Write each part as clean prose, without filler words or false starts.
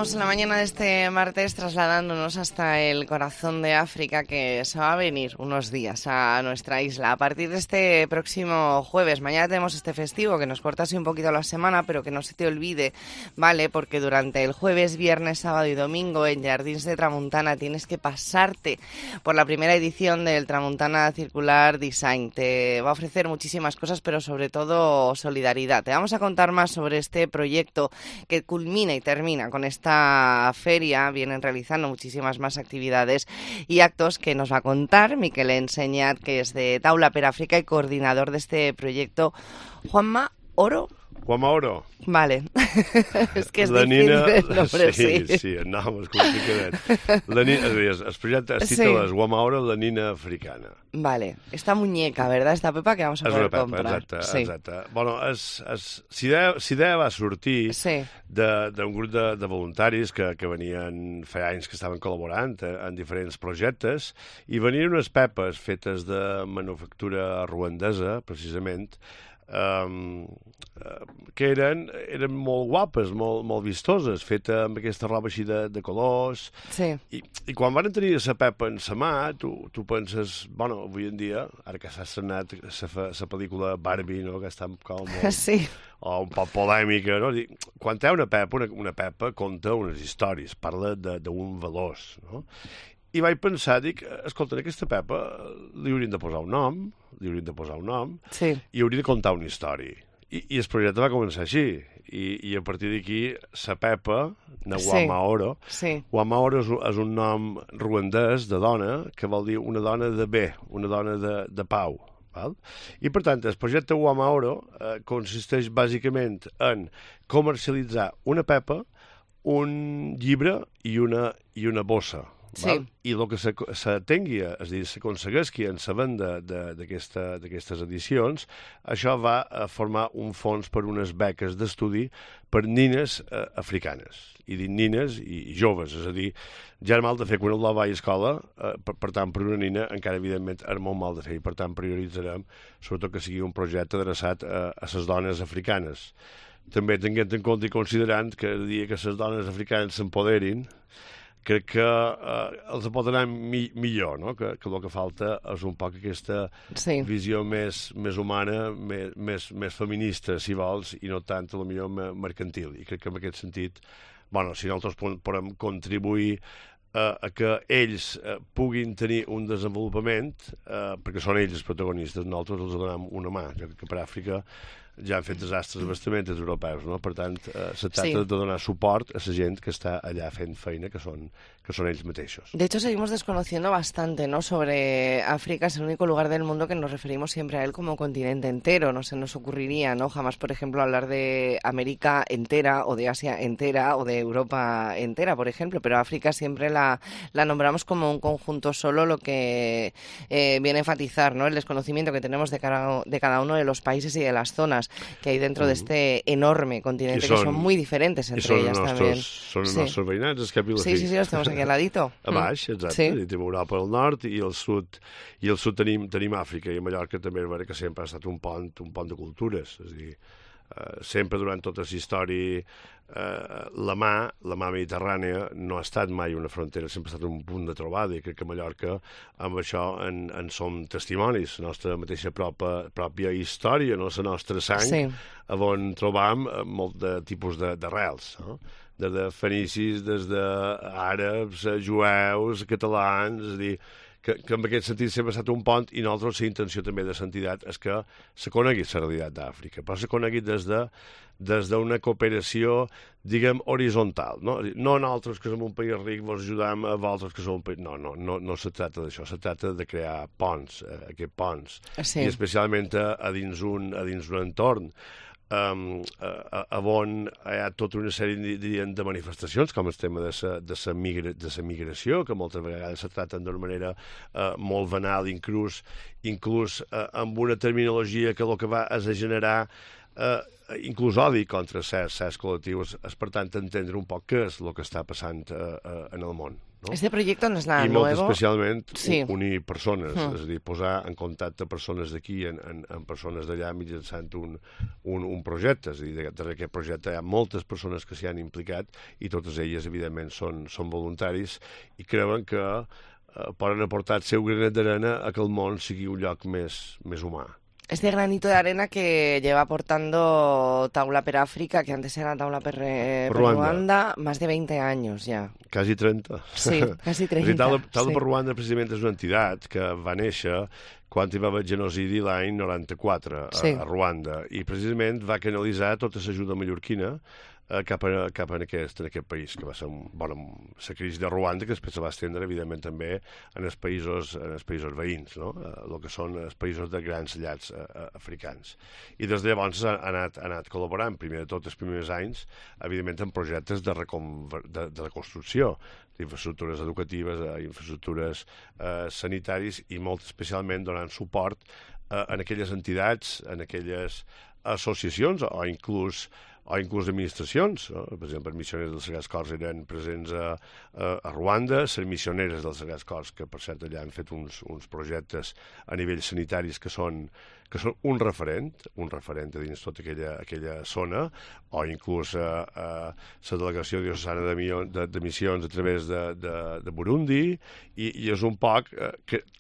Estamos en la mañana de este martes trasladándonos hasta el corazón de África, que se va a venir unos días a nuestra isla. A partir de este próximo jueves, mañana tenemos este festivo que nos corta así un poquito la semana, pero que no se te olvide, ¿vale? Porque durante el jueves, viernes, sábado y domingo en Jardins de Tramuntana tienes que pasarte por la primera edición del Tramuntana Circular Design. Te va a ofrecer muchísimas cosas, pero sobre todo solidaridad. Te vamos a contar más sobre este proyecto que culmina y termina con esta feria. Vienen realizando muchísimas más actividades y actos que nos va a contar Miquel Enseñat, que es de Taula per África y coordinador de este proyecto. Juanma Oro. Juanma Oro. Vale. És que és difícil el nombre, sí. Sí, el nom és complicat. El projecte es titula Juanma Oro, la nina africana. Vale. Esta muñeca, ¿verdad? Esta pepa que vamos a poder comprar. Exacte. Bueno, l'idea va sortir d'un grup de voluntaris que venien, feia anys que estaven col·laborant en diferents projectes, i venien unes pepes fetes de manufactura ruandesa, precisament, que eren molt guapes, molt vistoses, feta amb aquesta roba així de colors. Sí. I quan van tenir la pepa en sa mà, tu penses, bueno, avui en dia, ara que s'ha estrenat la pel·lícula Barbie, no?, que està com molt... Sí. O un poc polèmica, no? Quan té una pepa conta unes històries, parla d'un valors, no? I vaig pensar, escolta, aquesta pepa li haurien de posar un nom, sí, i hauria de contar una història. I el projecte va començar així. I a partir d'aquí, la pepa, de Juanma Oro, Juanma Oro és un nom ruandès de dona, que vol dir una dona de bé, una dona de pau. Val? I, per tant, el projecte Juanma Oro consisteix bàsicament en comercialitzar una pepa, un llibre i una bossa. Sí. I el que s'atengui, és a dir, s'aconsegueixi en la venda d'aquestes edicions, això va a formar un fons per unes beques d'estudi per nines africanes. I dic nines i joves, és a dir, ja era mal de fer quan el va a escola, per tant, per una nina encara, evidentment, era molt mal de fer, i per tant prioritzarem, sobretot que sigui un projecte adreçat a les dones africanes. També tenint en compte i considerant que el dia que les dones africanes s'empoderin, crec que els pot anar millor, no? Que el que falta és un poc aquesta visió més humana, més feminista, si vols, i no tant, potser, mercantil. I crec que en aquest sentit, bueno, si nosaltres podem contribuir a que ells puguin tenir un desenvolupament, perquè són ells els protagonistes, nosaltres els donem una mà. Jo crec que per Àfrica ja han fet desastres bastaments europeus, no? Per tant, se trata de donar suport a la gent que està allà fent feina, que són ells mateixos. De hecho, seguimos desconociendo bastante, ¿no?, sobre África. Es el único lugar del mundo que nos referimos siempre a él como continente entero. No se nos ocurriría, ¿no?, jamás, por ejemplo, hablar de América entera o de Asia entera o de Europa entera, por ejemplo, pero África siempre la nombramos como un conjunto solo, lo que viene a enfatizar, ¿no?, el desconocimiento que tenemos de cada uno de los países y de las zonas que hay dentro de este enorme continente, que son muy diferentes entre ellas también. Són els nostres veïnats, és cap i la fi. Sí, los tenemos aquí al ladito. A baix, exacte. Tenim Europa al nord i al sud tenim Àfrica, i a Mallorca també és vera que sempre ha estat un pont de cultures. És a dir, sempre durant tota la història la mà mediterrània no ha estat mai una frontera, sempre ha estat un punt de trobada, i crec que a Mallorca amb això en som testimonis, la nostra mateixa pròpia història, no? La nostra sang, on trobam molt de tipus d'arrels, no? Des de fenicis, des d'àrabs, jueus, catalans, és a dir, que en aquest sentit sempre ha estat un pont, i nosaltres la intenció també de l'entitat és que se conegui la realitat d'Àfrica, però se conegui des d'una cooperació, diguem, horitzontal. No nosaltres, que som un país ric, vos ajudem a vosaltres, que som un país... No se tracta d'això, se tracta de crear ponts, aquests ponts, i especialment a dins un entorn on hi ha tota una sèrie de manifestacions, com el tema de la migració, que moltes vegades se tracten d'una manera molt banal, inclús amb una terminologia que el que va és a generar inclús odi contra certs col·lectius, és per tant entendre un poc què és el que està passant en el món. ¿no? Este proyecto no es nada I molt nuevo. especialment Sí. unir persones, és a dir, posar en contacte persones d'aquí amb persones d'allà mitjançant un projecte. És a dir, darrere aquest projecte hi ha moltes persones que s'hi han implicat i totes elles, evidentment, són voluntaris i creuen que poden aportar el seu granet d'arena a que el món sigui un lloc més humà. Este granito de arena que lleva aportando Taula per África, que antes era Taula per Ruanda, más de 20 años ya. Quasi 30. Sí, quasi 30. Taula per Ruanda, precisament, és una entitat que va néixer quan hi va haver genocidi l'any 94 a Ruanda, i precisament va canalitzar tota l'ajuda mallorquina cap a aquest país, que va ser la crisi de Ruanda, que després se va estendre, evidentment, també en els països veïns, no? El que són els països de grans llars africans. I des de llavors ha anat col·laborant, primer de tot els primers anys, evidentment, en projectes de reconstrucció, d'infraestructures educatives, infraestructures sanitaris i molt especialment donant suport en aquelles entitats, en aquelles associacions o inclús administracions. Per exemple, els missioners dels Sagrats Cors eren presents a Ruanda, les missioneres dels Sagrats Cors, que per cert allà han fet uns projectes a nivell sanitaris que són un referent a dins tota aquella zona, o inclús la delegació diocesana de missions a través de Burundi, i és un poc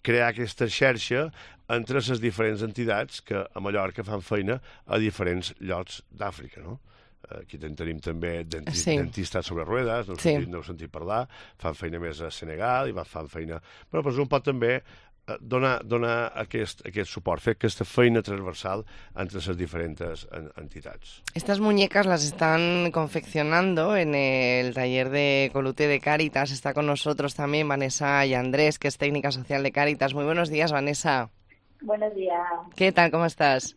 crear aquesta xarxa entre les diferents entitats que a Mallorca fan feina a diferents llocs d'Àfrica, no? Aquí tenim també dentistes sobre ruedes, no heu sentit parlar, fan feina més a Senegal i fan feina... Però és un pot també donar aquest suport, fer aquesta feina transversal entre les diferents entitats. Estas muñecas las están confeccionando en el taller de Coluté de Cáritas. Está con nosotros también Vanessa y Andrés, que es técnica social de Cáritas. Muy buenos días, Vanessa. Buenos días. ¿Qué tal? ¿Cómo estás?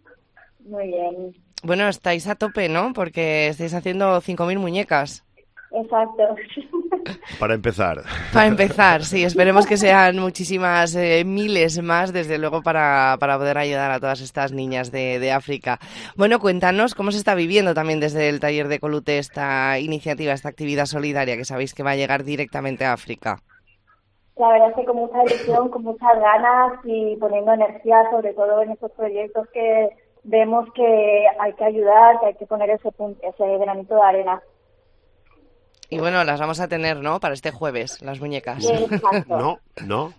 Muy bien. Bueno, estáis a tope, ¿no? Porque estáis haciendo 5.000 muñecas. Exacto. Para empezar. Para empezar, sí. Esperemos que sean muchísimas, miles más, desde luego, para poder ayudar a todas estas niñas de África. Bueno, cuéntanos cómo se está viviendo también desde el taller de Coluté esta iniciativa, esta actividad solidaria que sabéis que va a llegar directamente a África. La verdad es que con mucha ilusión, con muchas ganas y poniendo energía, sobre todo en estos proyectos que vemos que hay que ayudar, que hay que poner ese granito de arena. Y bueno, las vamos a tener, ¿no? Para este jueves, las muñecas. Sí, No. No.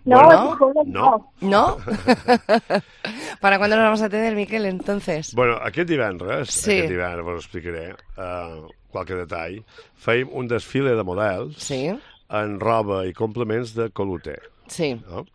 ¿Para cuándo las vamos a tener, Miquel, entonces? Bueno, aquest divendres vos explicaré qualque detall. Feim un desfile de models en roba i complements de Coluté. Sí. No?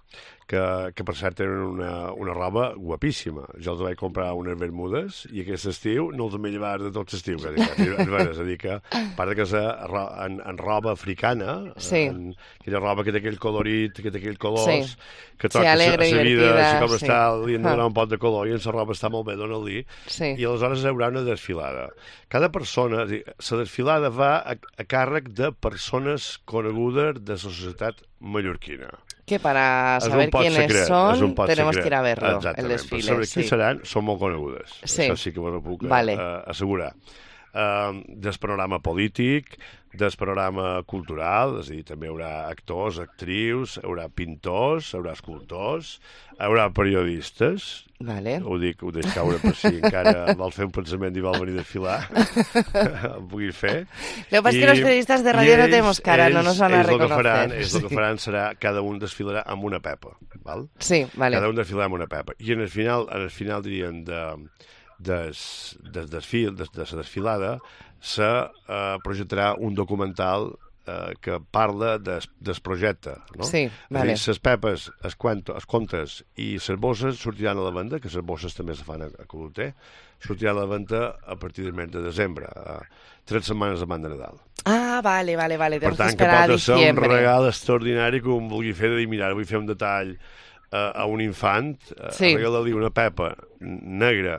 Que per cert tenen una roba guapíssima. Jo els vaig comprar unes bermudes i aquest estiu no els he llevat de tot l'estiu. És a dir que, a part que és en roba africana, aquella roba que té aquell colorit, que té aquells colors, que toca la vida, si com està, li han de donar un pot de color i en la roba està molt bé, dona-li. I aleshores hi haurà una desfilada. Cada persona, la desfilada va a càrrec de persones conegudes de la societat mallorquina. Que para saber quiénes son tenemos que ir a verlo, el desfile. Però sobre qui seran, són molt conegudes. Això sí que vos ho puc assegurar. Del panorama polític, del panorama cultural, és a dir, també hi haurà actors, actrius, hi haurà pintors, hi haurà escultors, hi haurà periodistes, ho dic caure per si encara vol fer un pensament i vol venir a desfilar, el puguis fer. Lo que pasa es que los periodistas de radio no tenemos cara, no nos van a reconocer. El que faran serà, cada un desfilarà amb una pepa, val? Sí, vale. Cada un desfilarà amb una pepa. I en el final diríem, de la desfilada se projectarà un documental que parla del projecte, no? Sí, vale. És a dir, les pepes, els contes i les bosses sortiran a la venda, que les bosses també se fan a Coluté, sortiran a la venda a partir del mes de desembre, 3 setmanes abans de Nadal. Ah, vale. Per tant, que pot ser un regal extraordinari que un vulgui fer de dir, mira, vull fer un detall a un infant, regala-li una pepa negra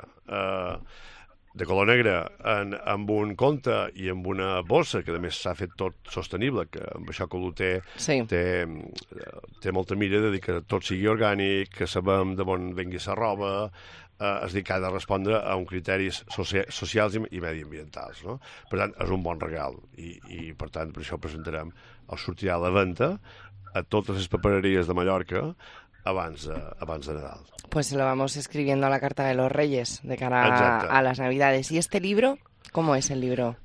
de color negre amb un conte i amb una bossa, que a més s'ha fet tot sostenible, que amb això que té molta mira de dir que tot sigui orgànic, que sabem d'on vengui la roba, és dir, que ha de respondre a uns criteris socials i mediambientals, no? Per tant, és un bon regal i per tant, per això presentarem, o sortirà a la venda a totes les papereries de Mallorca abans de Nadal. Pues se lo vamos escribiendo a la carta de los Reyes de cara a las Navidades. ¿Y este libro? ¿Cómo es el libro?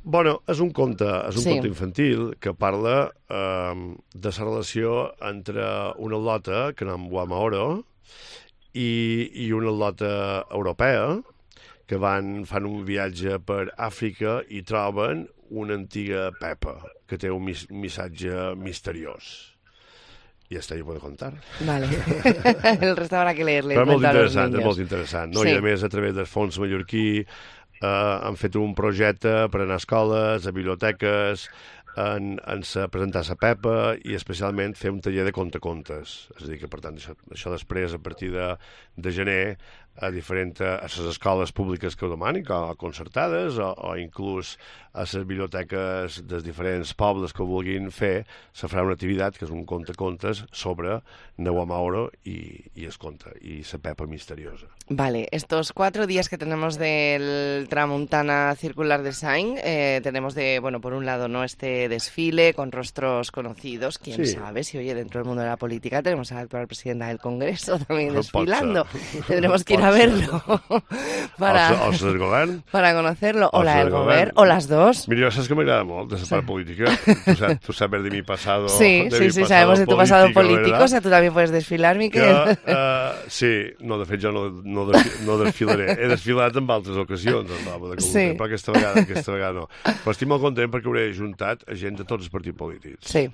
Bueno, és un conte infantil que parla de la relació entre una atleta que anem Guamaoro i una atleta europea que fan un viatge per Àfrica i troben una antiga Pepa que té un missatge misteriós. Y hasta ahí puedo contar. Vale. El resto habrá que leerle. Però és molt interessant. No? Sí. I a més, a través del Fons Mallorquí han fet un projecte per anar a escoles, a biblioteques, en presentar la Pepa i especialment fer un taller de contacontes. És a dir, que per tant això després, a partir de gener, a les escoles públiques que ho demanin, o concertades, o inclús a les biblioteques dels diferents pobles que ho vulguin fer, se farà una activitat que és un contacontes sobre Naguamaoro i el conte, i la Pepa misteriosa. Vale, estos 4 días que tenemos del Tramuntana Circular Design, tenemos por un lado, ¿no?, este desfile con rostros conocidos, quién sabe si, oye, dentro del mundo de la política tenemos a la actual presidenta del Congreso también desfilando. Tendremos que ir a verlo para conocerlo, o la del govern, o las dos. Mira, saps que m'agrada molt de la part política. Tú sabes de mi pasado. Sí, sabemos de tu pasado político, o sea, tú también puedes desfilar, Miquel. Sí, no, de fet jo no desfilaré. He desfilat en altres ocasions, però aquesta vegada no. Però estic molt content perquè hauré juntat gent de tots els partits polítics. Sí.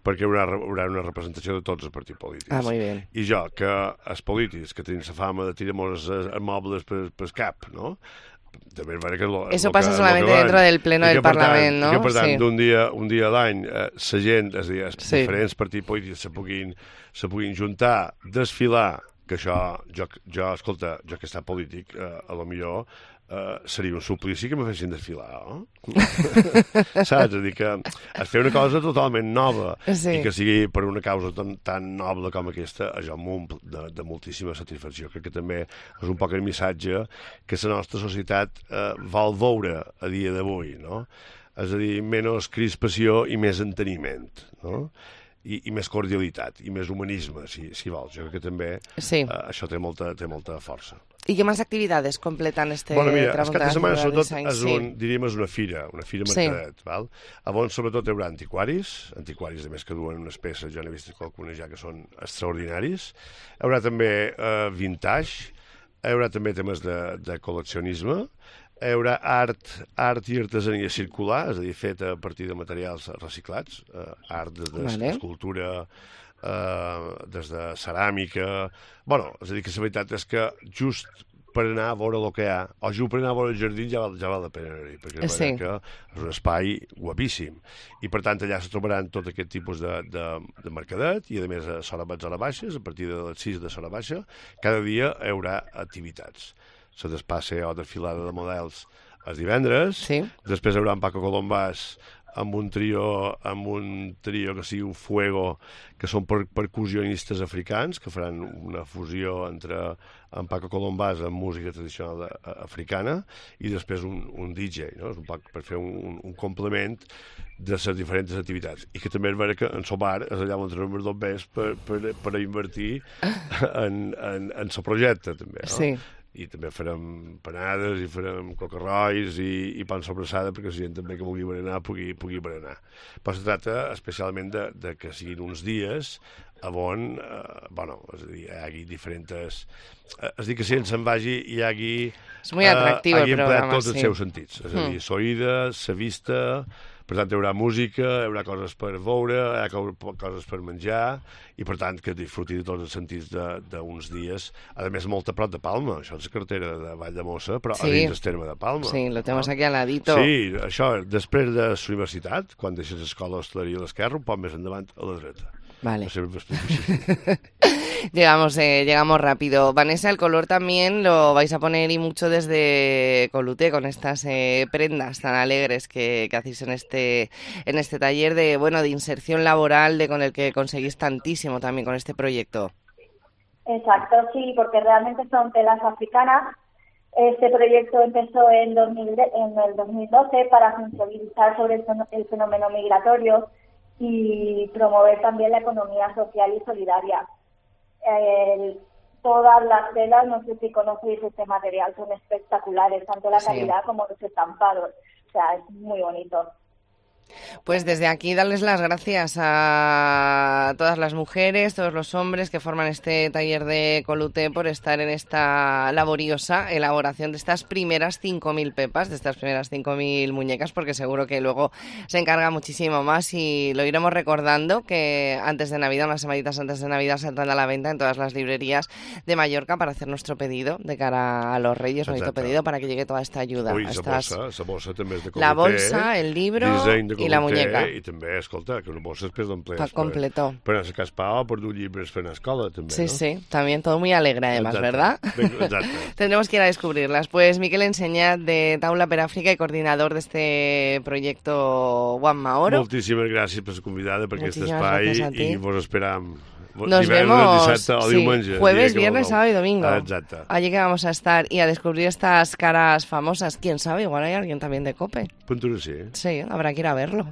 Perquè hi haurà una representació de tots els partits polítics. Ah, molt bé. I jo, que els polítics, que tenim la fama de tirar-nos mobles pel cap, no? També eso pasa solamente dentro del pleno del Parlament, no? I que, per tant, un dia a l'any, la gent, és a dir, els diferents partits polítics se puguin juntar, desfilar, que això, escolta, jo que he estat polític, a lo millor seria un suplici que me fessin desfilar, no? Saps? És a dir, que es fer una cosa totalment nova i que sigui per una causa tan noble com aquesta, això m'omple de moltíssima satisfacció. Crec que també és un poc el missatge que la nostra societat vol veure a dia d'avui, no? És a dir, menys crispació i més enteniment, no? I més cordialitat, i més humanisme, si vols. Jo crec que també això té molta força. ¿Y qué más actividades completan este Tramuntana? El cap de setmana, sobretot, és una fira mercadet. Val? Llavors, sobretot, hi haurà antiquaris, de més que duen unes peces, jo n'he vist qualcuna ja que són extraordinaris. Hi haurà també vintage, hi haurà també temes de col·leccionisme, hi haurà art i artesania circular, és a dir, feta a partir de materials reciclats, art des d'escultura, des de ceràmica. Bueno, és a dir, que la veritat és que just per anar a veure el que hi ha, o just per anar a veure el jardí ja val la pena anar-hi, perquè és un espai guapíssim. I per tant allà se trobaran tot aquest tipus de mercadet i a més a Sora Baixes, a partir de les 6 de Sora Baixa, cada dia hi haurà activitats. Se despasse o desfilada de models els divendres, després hi haurà en Paco Colombàs amb un trio que sigui un fuego, que són percussionistes africans, que faran una fusió entre en Paco Colombàs amb música tradicional africana, i després un DJ, no? És un poc per fer un complement de les diferents activitats. I que també és vera que en el bar és allà on trobem els bombers per invertir en el projecte, també, no? Sí. I també farem panades i farem cocarrois i pan sobrassada perquè la gent també que vulgui berenar pugui berenar. Però es tracta especialment de que siguin uns dies on, és a dir, hi hagi diferents... És a dir, que si ens en vagi hi hagi... És molt atractiu el programa, tots els seus sentits. És a dir, l'oïda, la vista... Per tant, hi haurà música, hi haurà coses per veure, hi haurà coses per menjar, i per tant, que disfruti de tots els sentits d'uns dies. A més, molt a prop de Palma, això és la carretera de Valldemossa, però a dins del terme de Palma. Sí, lo tenemos aquí al ladito. Sí, això, després de la universitat, quan deixes l'escola d'hostaleria a l'esquerra, un poc més endavant a la dreta. Vale. No sé, Llegamos rápido. Vanessa, el color también lo vais a poner y mucho desde Coluté, con estas prendas tan alegres que hacéis en este taller de inserción laboral, con el que conseguís tantísimo también con este proyecto. Exacto, sí, porque realmente son telas africanas. Este proyecto empezó en el 2012 para sensibilizar sobre el fenómeno migratorio y promover también la economía social y solidaria. Todas las telas, no sé si conocéis este material, son espectaculares, tanto la calidad como los estampados. O sea, es muy bonito. Pues desde aquí darles las gracias a todas las mujeres, todos los hombres que forman este taller de Coluté por estar en esta laboriosa elaboración de estas primeras 5.000 pepas, de estas primeras 5.000 muñecas, porque seguro que luego se encarga muchísimo más y lo iremos recordando, que antes de Navidad, unas semanitas antes de Navidad, saldrán a la venta en todas las librerías de Mallorca para hacer nuestro pedido de cara a los Reyes, nuestro pedido para que llegue toda esta ayuda. Ui, la bossa també és de Coluté. La bolsa, el libro i la muñeca. I també, escolta, que una bossa després d'emplea. Pa completo. Per anar a caspa, per dur llibres per anar a escola, també, sí, ¿no? Sí, también todo muy alegre además, exacte. ¿Verdad? Exacte. Tendremos que ir a descubrirlas. Pues Miquel Enseñat, de Taula per Àfrica y coordinador de este proyecto Juan Maoro. Moltíssimes gràcies per ser convidada per aquest espai i vos esperam. Nos vemos dissabte o diumenge, jueves, viernes, sábado y domingo. Exacte. Allí que vamos a estar y a descubrir estas caras famosas. ¿Quién sabe? Igual hay alguien también de COPE. Punto sí. Sí, habrá que ir a verlo.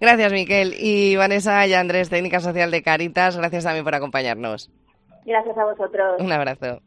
Gracias, Miquel. Y Vanessa y Andrés, técnica social de Caritas, gracias también por acompañarnos. Gracias a vosotros. Un abrazo.